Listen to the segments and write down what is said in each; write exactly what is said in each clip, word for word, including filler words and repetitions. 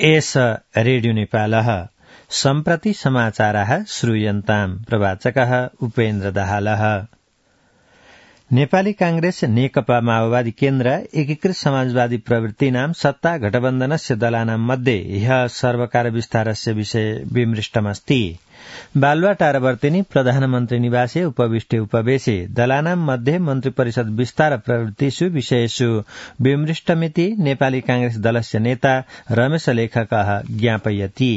S radio नेपालः सम्प्रति समाचारः श्रूयन्ताम् प्रवाचकः उपेन्द्र दाहालः। नेपाली कांग्रेस नेकपा माओवादी केन्द्र एकीकृत समाजवादी प्रवृत्तिनां सत्ता गठबन्धनस्य दलानां मध्ये ह्यः सर्वकार विस्तारस्य विषय विमृष्टमस्ति। बालुवाटारवर्तिनि प्रधानमन्त्री निवासे उपविष्टे उपवेशे दलानां मध्ये मन्त्री परिषद विस्तार प्रवृत्तिषु विषयेषु विमृष्टमिति नेपाली कांग्रेस दलस्य नेता रमेश लेखकः ज्ञापयति।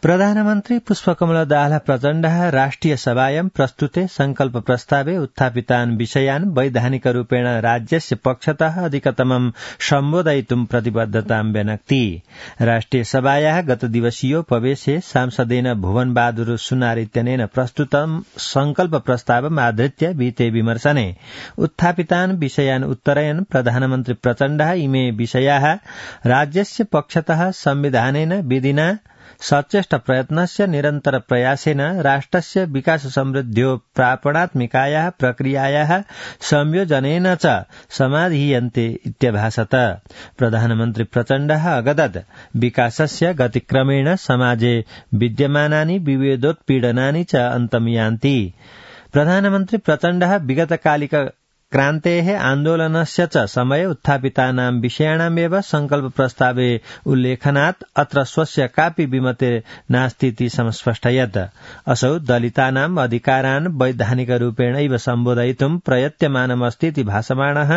प्रधानमन्त्री पुष्पकमल दाहाल प्रचण्डः राष्ट्रिय सभायां प्रस्तुते संकल्प प्रस्तावे उत्थापितान् विषयान् वैधानिकरूपेण राज्यस्य पक्षतः अधिकतमं सम्बोधयितुं प्रतिबद्धतां व्यनक्ति। राष्ट्रिय सभायाः गतदिवसीयोपवेशे सांसदेन भुवन बहादुर सुनार इत्यनेन प्रस्तुतं संकल्प प्रस्तावम् आधृत्य विहिते विमर्शने उत्थापितान् विषयान् उत्तरयन् प्रधानमन्त्री प्रचण्डः इमे विषयाः राज्यस्य पक्षतः संविधानेन विधिना सचेष्ट प्रयत्नस्य निरन्तर प्रयासेन राष्ट्रस्य विकास समृद्ध्यो प्रापणात्मिकायाः प्रक्रियायाः संयोजनेन च समाधीयन्ते इत्यभाषत। प्रधानमन्त्री प्रचण्डः अगदत् विकासस्य गतिक्रमेण समाजे विद्यमानानि विभेदोत्पीडनानि च अन्तम् यान्ति। प्रधानमन्त्री प्रचण्डः विगतकालिक क्रान्तेः आन्दोलनस्य च समये उत्थापितानां विषयाणामेव संकल्प प्रस्तावे उल्लेखनात् अत्र स्वस्य कापि विमते नास्तीति समस्पष्टयत्। असौ दलितानाम् अधिकारान् वैधानिकरूपेणैव सम्बोधयितुं प्रयत्यमानमस्तीति भासमाणः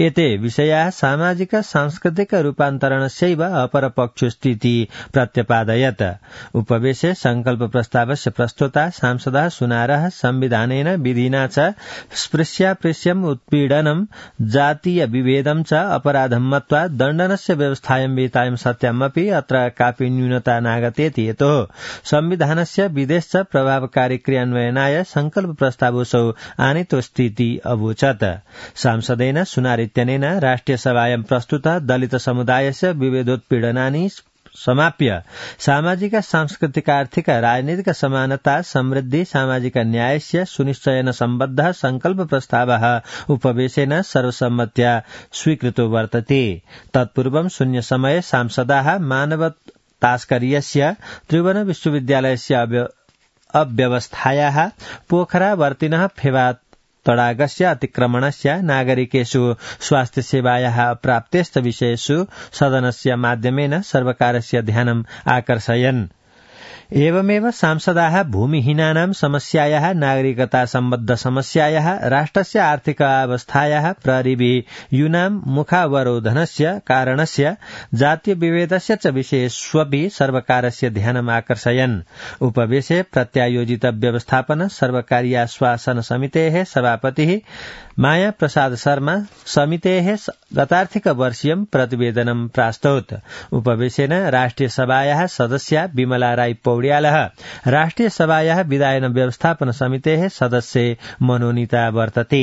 एते विषयाः सामाजिक सांस्कृतिक रूपान्तरणस्यैव अपरपक्षोऽस्तीति प्रत्यपादयत्। उपवेशे संकल्प प्रस्तावस्य प्रस्तोता सांसदः सुनारः संविधानेन विधिना च स्पृश्यापृश्यम् उत्पीडनम् जातीय विभेदम् च अपराधम् मत्वा दण्डनस्य व्यवस्थायां विहितायां सत्यामपि अत्र कापि न्यूनता नागतेति यतोः संविधानस्य विदेश च प्रभावकारी क्रियान्वयनाय संकल्प प्रस्तावोऽसौ आनीतोऽस्तीति अवोचत्। सांसदेन सुनार इत्यनेन राष्ट्रिय सभायां प्रस्तुतः दलित समुदायस्य विभेदोत्पीडनानि समाप्य सामाजिक सांस्कृतिक आर्थिक राजनीतिक समानता समृद्धि सामाजिक न्यायस्य सुनिश्चयन सम्बद्धः संकल्प प्रस्तावः उपवेशेन सर्वसम्मत्या स्वीकृतो वर्तते। तत्पूर्वं शून्य समये सांसदाः मानव तास्कर्यस्य त्रिभुवन विश्वविद्यालयस्य अव्यवस्थायाः पोखरावर्तिनः फेवा तडागस्य अतिक्रमणस्य नागरिकेषु स्वास्थ्य सेवायाः प्राप्तेस्त विषयेषु सदनस्य माध्यमेन सर्वकारस्य ध्यानम् आकर्षयन्। एवमेव सांसदाः भूमिहीनानां समस्यायाः नागरिकता सम्बद्ध समस्यायाः राष्ट्रस्य आर्थिक अवस्थायाः प्रहरीभिः यूनां मुखावरोधनस्य कारणस्य जातीय विभेदस्य च विषयेष्वपि सर्वकारस्य ध्यानम् आकर्षयन्। उपवेशे प्रत्यायोजित व्यवस्थापन सर्वकारीय आश्वासन समितेः सभापतिः माया प्रसाद शर्मा समितेः गतार्थिक वर्षीयं प्रतिवेदनं प्रास्तौत्। उपवेशेन राष्ट्रिय सभायाः सदस्या विमला राई पौड्यालः राष्ट्रिय सभायाः विधायन व्यवस्थापन समितेः सदस्ये मनोनीता वर्तते।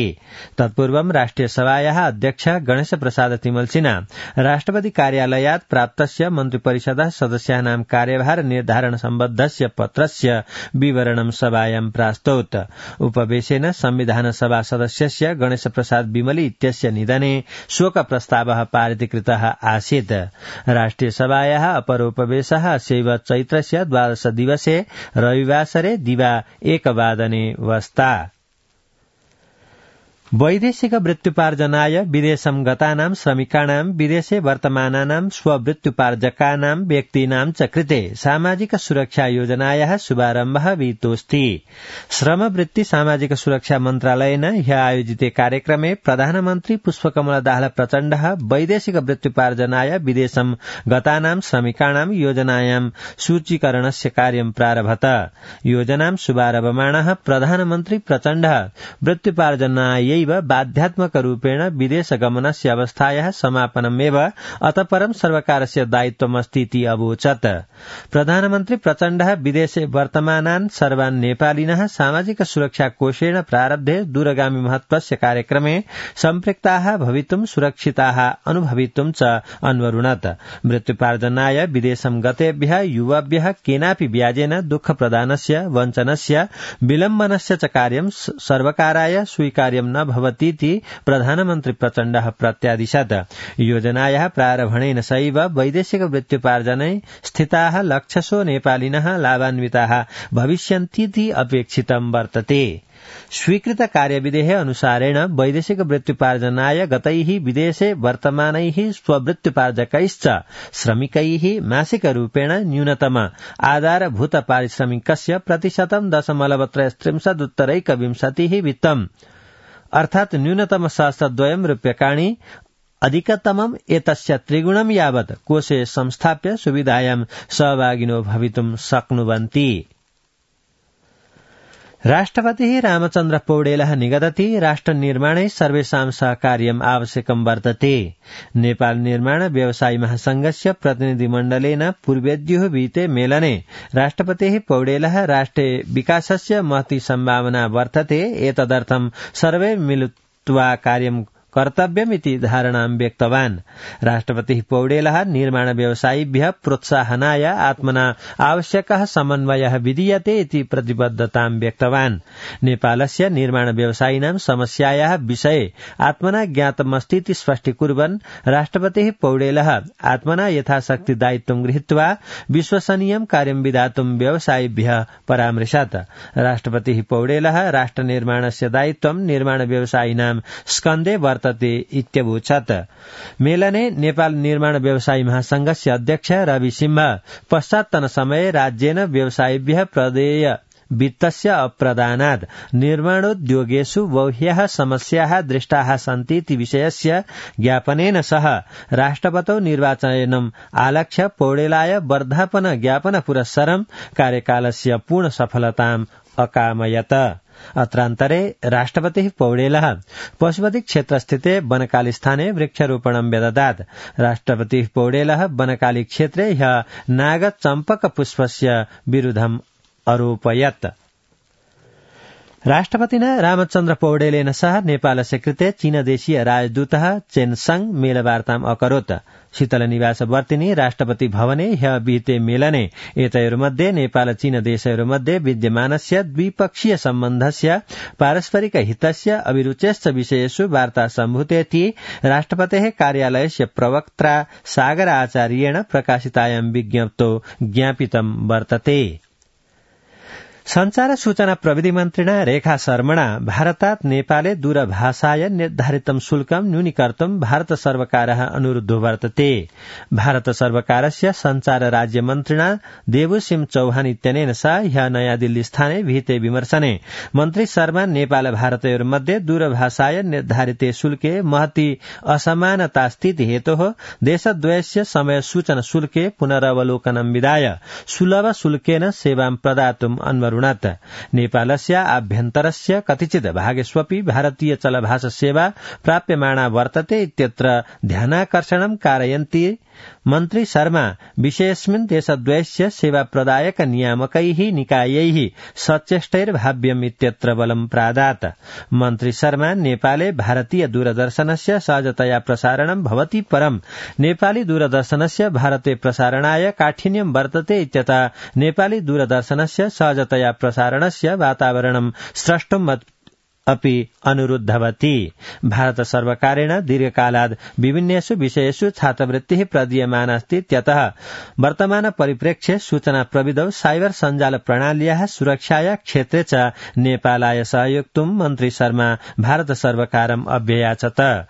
तत्पूर्वं राष्ट्रिय सभायाः अध्यक्ष गणेश प्रसाद तिमल सिन्हा राष्ट्रपति कार्यालयात् प्राप्तस्य मन्त्रिपरिषदः सदस्यानां कार्यभार निर्धारण सम्बद्धस्य पत्रस्य विवरणं सभायां प्रास्तौत्। उपवेशेन संविधान सभा सदस्यस्य गणेश प्रसाद बिमली इत्यस्य निधने शोक प्रस्तावः पारितीकृतः आसीत्। राष्ट्रिय सभायाः अपरोपवेशः अस्यैव चैत्रस्य द्वादश दिवसे रविवासरे दिवा एकवादने वस्ता। वैदेशिक वृत्त्युपार्जनाय विदेशं गतानां श्रमिकाणां विदेशे वर्तमानानां स्ववृत्त्युपार्जकानां व्यक्तीनां च कृते सामाजिक सुरक्षा योजनायाः शुभारम्भः विहितोऽस्ति। श्रमवृत्ति सामाजिक सुरक्षा मन्त्रालयेन ह्यः आयोजिते कार्यक्रमे प्रधानमन्त्री पुष्पकमल दाहाल प्रचण्डः वैदेशिक वृत्त्युपार्जनाय विदेशं गतानां श्रमिकाणां योजनायां सूचीकरणस्य कार्यं प्रारभत। योजनां शुभारभमाणः प्रधानमन्त्री प्रचण्डः वृत्त्युपार्जनायै बाध्यात्मक रूपेण विदेश गमनस्य अवस्थायाः समापनमेव अतः परं सर्वकारस्य दायित्वमस्तीति अवोचत्। प्रधानमन्त्री प्रचण्डः विदेशे वर्तमानान् सर्वान् नेपालिनः सामाजिक सुरक्षा कोषेण प्रारब्धे दूरगामी महत्वस्य कार्यक्रमे सम्पृक्ताः भवितुं सुरक्षिताः अनुभवितुं च अन्वरुणत्। मृत्युपार्जनाय विदेशं गतेभ्यः युवाभ्यः केनापि व्याजेन दुःखप्रदानस्य वञ्चनस्य विलम्बनस्य च कार्यं सर्वकाराय स्वीकार्यं न न भवतीति प्रधानमन्त्री प्रचण्डः प्रत्यादिशत्। योजनायाः प्रारम्भेन सैव वैदेशिक वृत्त्युपार्जने स्थिताः लक्षशो नेपालिनः लाभान्विताः भविष्यन्तीति अपेक्षितं वर्तते। स्वीकृत कार्यविधेः अनुसारेण वैदेशिक वृत्त्युपार्जनाय गतैः विदेशे वर्तमानैः स्ववृत्त्युपार्जकैश्च श्रमिकैः मासिकरूपेण न्यूनतम आधारभूत पारिश्रमिकस्य प्रतिशतं दशमलव त्रयस्त्रिंशदुत्तरैकविंशतिः वित्तम् अर्थात् न्यूनतम सहस्रद्वयं रूप्यकाणि अधिकतमम् एतस्य त्रिगुणं यावत् कोषे संस्थाप्य सुविधायां सहभागिनो भवितुं शक्नुवन्ति। राष्ट्रपतिः रामचन्द्र पौडेलः निगदति राष्ट्रनिर्माणे सर्वेषां सहकार्यम् आवश्यकं वर्तते। नेपाल निर्माण व्यवसायी महासंघस्य प्रतिनिधिमण्डलेन पूर्वेद्युः विहिते मेलने राष्ट्रपतिः पौडेलः राष्ट्रे विकासस्य महती सम्भावना वर्तते, एतदर्थं सर्वे मिलित्वा कार्यं कर्तव्यमिति धारणां व्यक्तवान्। राष्ट्रपतिः पौडेलः निर्माण व्यवसायिभ्यः प्रोत्साहनाय आत्मना आवश्यकः समन्वयः विधीयते इति प्रतिबद्धतां व्यक्तवान्। नेपालस्य निर्माण व्यवसायिनां समस्यायाः विषये आत्मना ज्ञातमस्तीति स्पष्टीकुर्वन् राष्ट्रपतिः पौडेलः आत्मना यथाशक्ति दायित्वं गृहीत्वा विश्वसनीयं कार्यं विधातुं व्यवसायिभ्यः परामृशत्। राष्ट्रपतिः पौडेलः राष्ट्रनिर्माणस्य दायित्वं निर्माण व्यवसायिनां स्कन्धे वर्तते इत्यवोचत्। मेलने नेपाल निर्माण व्यवसायी महासंघस्य अध्यक्ष रवि सिंह पश्चात्तन समये राज्येन व्यवसायिभ्यः प्रदेय वित्तस्य अप्रदानात् निर्माणोद्योगेषु बह्व्यः समस्याः दृष्टाः सन्तीति विषयस्य ज्ञापनेन सह राष्ट्रपतौ निर्वाचनम् आलक्ष्य पौडेलाय वर्धापन ज्ञापन पुरस्सरं कार्यकालस्य पूर्ण सफलताम् अकामयत। अत्रान्तरे राष्ट्रपतिः पौडेलः पशुपति क्षेत्रस्थिते बनकाली स्थाने वृक्षारोपणं व्यददात्। राष्ट्रपतिः पौडेलः बनकाली क्षेत्रे ह्यः नागचम्पक पुष्पस्य विरुद्धम् अरोपयत्। राष्ट्रपतिना रामचन्द्र पौडेलेन सह नेपालस्य कृते चीनदेशीय राजदूतः चेनसंग मेलवार्ताम् अकरोत्। शीतलनिवासवर्तिनि राष्ट्रपति भवने ह्यः विहिते मेलने एतयोर्मध्ये नेपाल चीन देशयोर्मध्ये विद्यमानस्य द्विपक्षीय सम्बन्धस्य पारस्परिक हितस्य अभिरुचेश्च विषयेषु वार्ता सम्भूतेति राष्ट्रपतेः कार्यालयस्य प्रवक्त्रा सागर आचार्येण प्रकाशितायां विज्ञप्तौ ज्ञापितं वर्तते। संचार सूचना प्रविधि मन्त्रिणा रेखा शर्मणा भारतात् नेपाले दूरभाषाय निर्धारितं शुल्कं न्यूनीकर्तुं भारत सर्वकारः अनुरुद्धो वर्तते। भारत सर्वकारस्य संचार राज्य मन्त्रिणा देवुसिंह चौहान इत्यनेन सह ह्यः नयाँ दिल्ली स्थाने विहिते विमर्शने मन्त्री शर्मा नेपाल भारतयोर्मध्ये दूरभाषाय निर्धारिते शुल्के महती असमानतास्थिति हेतोः देशद्वयस्य समय सूचना शुल्के पुनरवलोकनं विधाय सुलभ शुल्केन सेवां प्रदातुम् अन्वरुणत्। नेपालस्य आभ्यन्तरस्य कतिचित् भागेष्वपि भारतीय चलभाषा सेवा प्राप्यमाणा वर्तते इत्यत्र ध्यानाकर्षणं कारयन्ती मन्त्री शर्मा विषयेऽस्मिन् देशद्वयस्य सेवा प्रदायक नियामकैः निकायैः सचेष्टैर्भाव्यम् इत्यत्र बलं प्रादात्। मन्त्री शर्मा नेपाले भारतीय दूरदर्शनस्य सहजतया प्रसारणं भवति, परं नेपाली दूरदर्शनस्य भारते प्रसारणाय काठिन्यं वर्तते इत्यतः नेपाली दूरदर्शनस्य सहजतया प्रसारणस्य वातावरणं स्रष्टुम् अपि अनुरुद्धवती। भारत सर्वकारेण दीर्घकालात् विभिन्नेषु विषयेषु छात्रवृत्तिः प्रदीयमाना अस्ति इत्यतः वर्तमान परिप्रेक्ष्ये सूचना प्रविधौ साइबर सञ्जाल प्रणाल्याः सुरक्षाया क्षेत्रे च नेपालाय सहयोक्तुं मन्त्री शर्मा भारत सर्वकारम् अभ्ययाचत।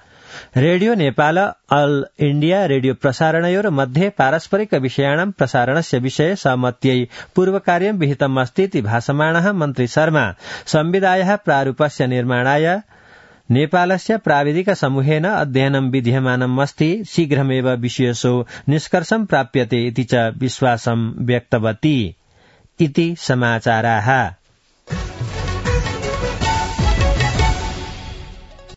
Radio Nepal all India radio प्रसारणयोर् मध्ये पारस्परिक विषयाणां प्रसारणस्य विषये सहमत्यै पूर्वकार्यं विहितम् अस्ति इति भासमाणः मन्त्री शर्मा संविधायाः प्रारूपस्य निर्माणाय नेपालस्य प्राविधिक समूहेन अध्ययनं विधीयमानम् अस्ति, शीघ्रमेव विषयेषु निष्कर्षं प्राप्यते इति च विश्वासं व्यक्तवती इति समाचाराः।